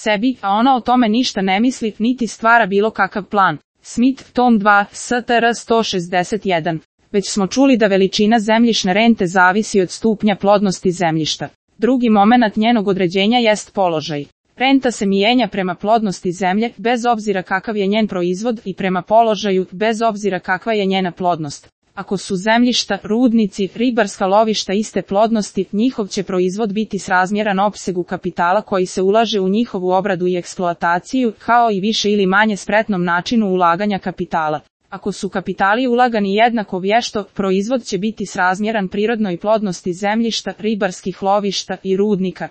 sebi, a ona o tome ništa ne misli, niti stvara bilo kakav plan. Smith, tom 2, STR 161. Već smo čuli da veličina zemljišne rente zavisi od stupnja plodnosti zemljišta. Drugi momenat njenog određenja jest položaj. Renta se mijenja prema plodnosti zemlje, bez obzira kakav je njen proizvod, i prema položaju, bez obzira kakva je njena plodnost. Ako su zemljišta, rudnici, ribarska lovišta iste plodnosti, njihov će proizvod biti srazmjeran opsegu kapitala koji se ulaže u njihovu obradu i eksploataciju, kao i više ili manje spretnom načinu ulaganja kapitala. Ako su kapitali ulagani jednako vješto, proizvod će biti srazmjeran prirodnoj plodnosti zemljišta, ribarskih lovišta i rudnika.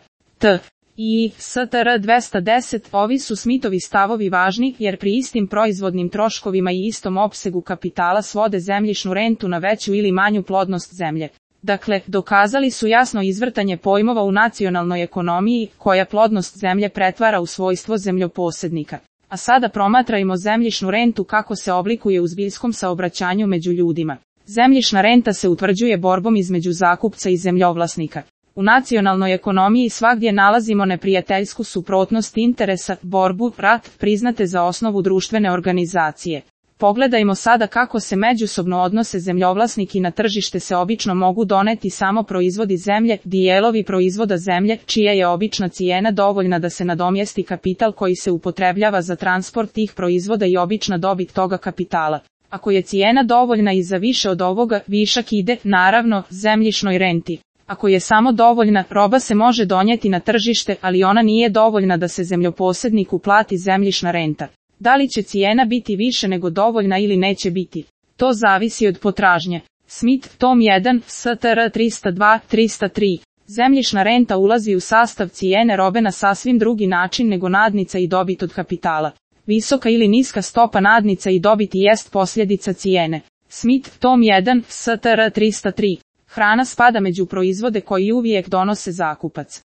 I STR 210. Ovi su Smithovi stavovi važni, jer pri istim proizvodnim troškovima i istom opsegu kapitala svode zemljišnu rentu na veću ili manju plodnost zemlje. Dakle, dokazali su jasno izvrtanje pojmova u nacionalnoj ekonomiji, koja plodnost zemlje pretvara u svojstvo zemljoposjednika. A sada promatrajmo zemljišnu rentu kako se oblikuje u zbiljskom saobraćanju među ljudima. Zemljišna renta se utvrđuje borbom između zakupca i zemljovlasnika. U nacionalnoj ekonomiji svagdje nalazimo neprijateljsku suprotnost interesa, borbu, rat, priznate za osnovu društvene organizacije. Pogledajmo sada kako se međusobno odnose zemljovlasnik i na tržište se obično mogu doneti samo proizvodi zemlje, dijelovi proizvoda zemlje, čija je obična cijena dovoljna da se nadomjesti kapital koji se upotrebljava za transport tih proizvoda i obična dobit toga kapitala. Ako je cijena dovoljna i za više od ovoga, višak ide, naravno, zemljišnoj renti. Ako je samo dovoljna, roba se može donijeti na tržište, ali ona nije dovoljna da se zemljoposjedniku plati zemljišna renta. Da li će cijena biti više nego dovoljna ili neće biti? To zavisi od potražnje. Smith, tom 1, STR 302-303. Zemljišna renta ulazi u sastav cijene robe na sasvim drugi način nego nadnica i dobit od kapitala. Visoka ili niska stopa nadnica i dobiti jest posljedica cijene. Smith, tom 1, STR 303. Hrana spada među proizvode koji uvijek donose zakupac.